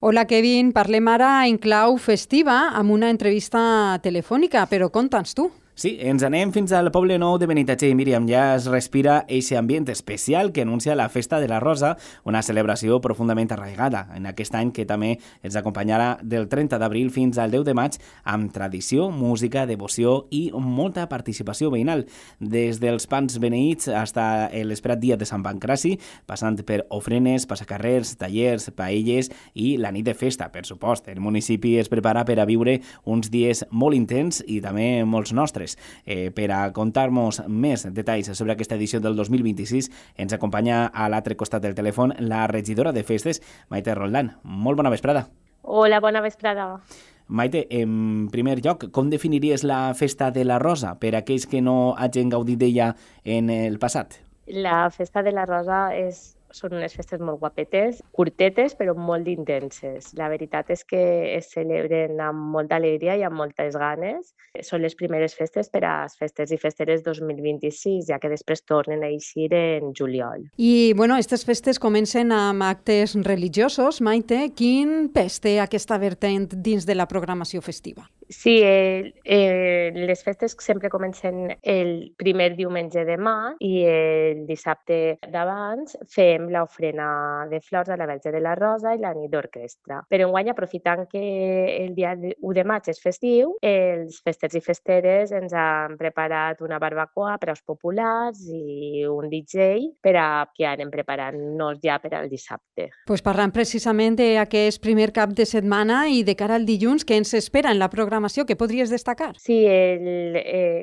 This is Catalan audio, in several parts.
Hola, Kevin. Parlem ara en clau festiva amb una entrevista telefònica, però conta'ns tu. Sí, ens anem fins al Poble Nou de Benitatxell. Míriam, ja es respira eixe ambient especial que anuncia la Festa de la Rosa, una celebració profundament arraigada en aquest any que també ens acompanyarà del 30 d'abril fins al 10 de maig amb tradició, música, devoció i molta participació veïnal. Des dels pans beneïts fins a l'esperat dia de Sant Pancraci, passant per ofrenes, passacarrers, tallers, paelles i la nit de festa, per supost. El municipi es prepara per a viure uns dies molt intens i també molts nostres. Per a contar-nos més detalls sobre aquesta edició del 2026 ens acompanya a l'altre costat del telèfon la regidora de festes, Maite Roldán. Molt bona vesprada. Hola, bona vesprada. Maite, en primer lloc, com definiries la Festa de la Rosa per a aquells que no hagin gaudit d'ella en el passat? La Festa de la Rosa són unes festes molt guapetes, curtetes però molt intenses. La veritat és que es celebren amb molta alegria i amb moltes ganes. Són les primeres festes per a les festes i festeres 2026, ja que després tornen a eixir en juliol. I, aquestes festes comencen amb actes religiosos. Maite, quin pes té aquesta vertent dins de la programació festiva? Sí, les festes sempre comencen el primer diumenge de maig i el dissabte d'abans fem l'ofrena de flors a la Verge de la Rosa i la nit d'orquestra. Però enguany, aprofitant que el dia 1 de maig és festiu, els festers i festeres ens han preparat una barbacoa per als populars i un DJ per a que anem preparant-nos ja per al dissabte. Pues parlant precisament d'aquest primer cap de setmana i de cara al dilluns, què ens espera en la programació que podries destacar? Sí,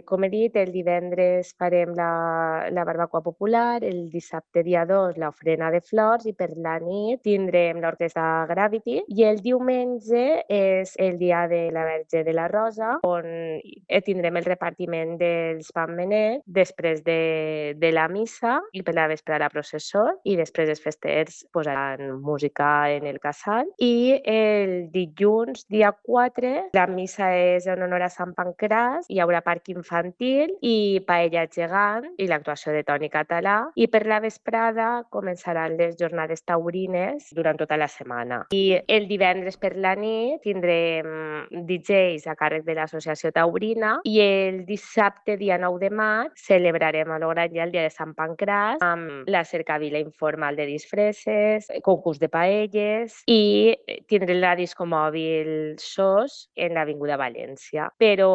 com he dit, el divendres farem la barbacoa popular, el dissabte dia 2 l'ofrena de flors i per la nit tindrem l'orquestra Gravity i el diumenge és el dia de la Verge de la Rosa on tindrem el repartiment dels panbenets després de la missa i per la vespre la processó i després els festers posaran música en el casal i el dilluns dia 4 la missa és en honor a Sant Pancràs, hi haurà parc infantil i paella gegant i l'actuació de Toni Català i per la vesprada començaran les jornades taurines durant tota la setmana. I el divendres per la nit tindrem DJs a càrrec de l'Associació Taurina i el dissabte, dia 9 de maig, celebrarem a l'Orange el dia de Sant Pancràs amb la cercavila informal de disfresses, concurs de paelles i tindrem la discomòbil SOS en l'Avinguda València. Però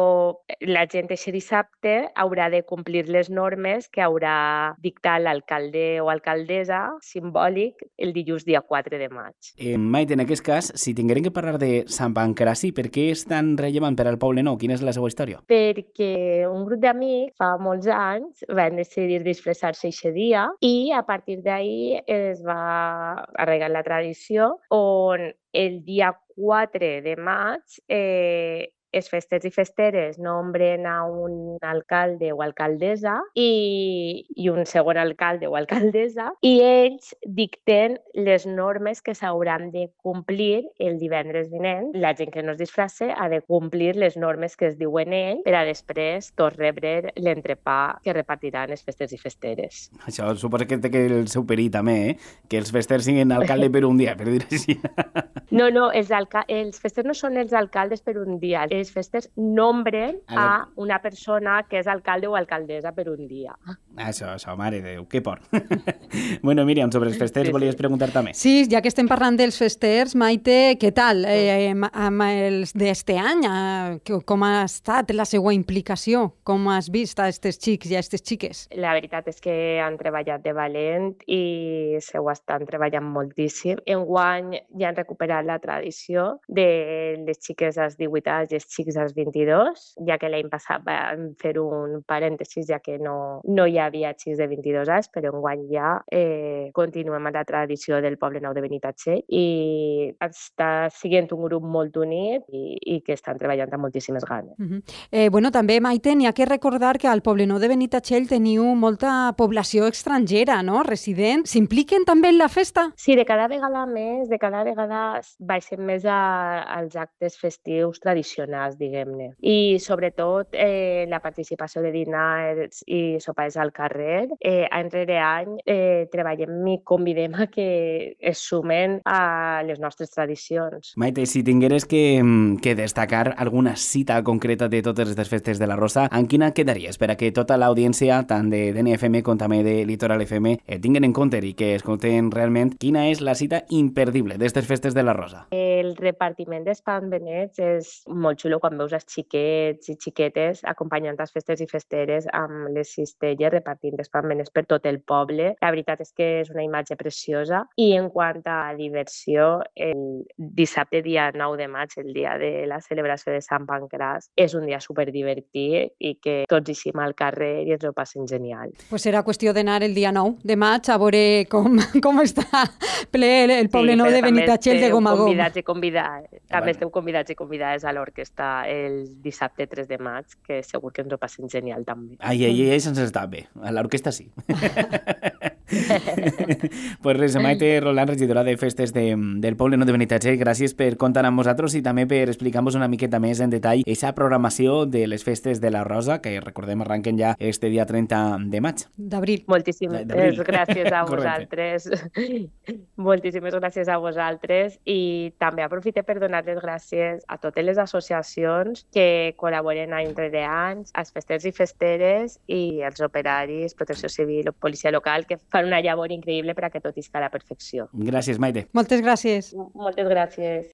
la gent aquest dissabte haurà de complir les normes que haurà dictat l'alcalde o alcaldessa simbòlic el dilluns dia 4 de maig. Maite, en aquest cas, si tinguérem que parlar de Sant Pancraci, per què és tan rellevant per al Poble Nou? Quina és la seva història? Perquè un grup d'amics fa molts anys van decidir disfressar-se aquest dia i a partir d'ahir es va arraigar la tradició on el dia 4 de maig els festers i festeres nombren a un alcalde o alcaldessa i un segon alcalde o alcaldessa i ells dicten les normes que s'hauran de complir el divendres vinent. La gent que no es disfrasse ha de complir les normes que es diuen ells per a després tots rebre l'entrepà que repartiran els festers i festeres. Això suposa que té el seu perill també, que els festers siguin alcalde per un dia, per dir així. No, els festers no són els alcaldes per un dia. Els festers nombren a una persona que és alcalde o alcaldessa per un dia. Això, mare de Déu, que por. Bueno, Míriam, sobre els festers volies preguntar també. Sí, ja que estem parlant dels festers, Maite, què tal? Amb els d'este any, com ha estat la seva implicació? Com has vist a aquests xics i a aquestes xiques? La veritat és que han treballat de valent i se ho estan treballant moltíssim. Enguany ja han recuperat la tradició de les xiques als 18 anys i els xics als 22, ja que l'any passat vam fer un parèntesis, ja que no hi havia xics de 22 anys, però enguany ja continuem amb la tradició del Poble Nou de Benitatxell i està sent un grup molt unit i que estan treballant amb moltíssimes ganes. També, Maite, n'hi ha que recordar que al Poble Nou de Benitatxell teniu molta població estrangera, no? Resident. S'impliquen també en la festa? Sí, de cada vegada més, de cada vegada baixen més als actes festius tradicionals. dinars, diguem-ne. I sobretot la participació de dinars i sopars al carrer. Any rere any treballem i convidem a que es sumen a les nostres tradicions. Maite, si tingueres que destacar alguna cita concreta de totes aquestes festes de la Rosa, en quina quedaries per a que tota l'audiència, tant de DNFM com també de Litoral FM, tinguen en compte i que escolten realment quina és la cita imperdible d'aquestes festes de la Rosa? El repartiment d'espans benets és molt xulo quan veus els xiquets i xiquetes acompanyant les festes i festeres amb les cistelles repartint espans benets per tot el poble. La veritat és que és una imatge preciosa. I en quant a diversió, el dissabte dia 9 de maig, el dia de la celebració de Sant Pancràs, és un dia superdivertit i que tots hi sim al carrer i ens ho passen genial. Pues serà qüestió d'anar el dia 9 de maig a veure com està ple el poble nou de Benitatxell de gom a gom. També esteu convidats i convidades a l'orquestra el dissabte 3 de maig, que segur que ens ho passen genial també. Ai, se'ns està bé. A l'orquestra sí. Pues res, Maite Roland, regidora de festes del poble nou de Benitatxell, gràcies per comptar amb nosaltres i també per explicar-nos una miqueta més en detall aquesta programació de les festes de la Rosa, que recordem arrenquen ja este dia 30 de maig. D'abril. Moltíssimes gràcies a vosaltres. Moltíssimes gràcies a vosaltres i també aprofite per donar les gràcies a totes les associacions que col·laboren any rere any, als festers i festeres i als operaris, protecció civil o policia local, que fan una llavor increïble per a que tot isca a la perfecció. Gràcies, Maite. Moltes gràcies. Moltes gràcies.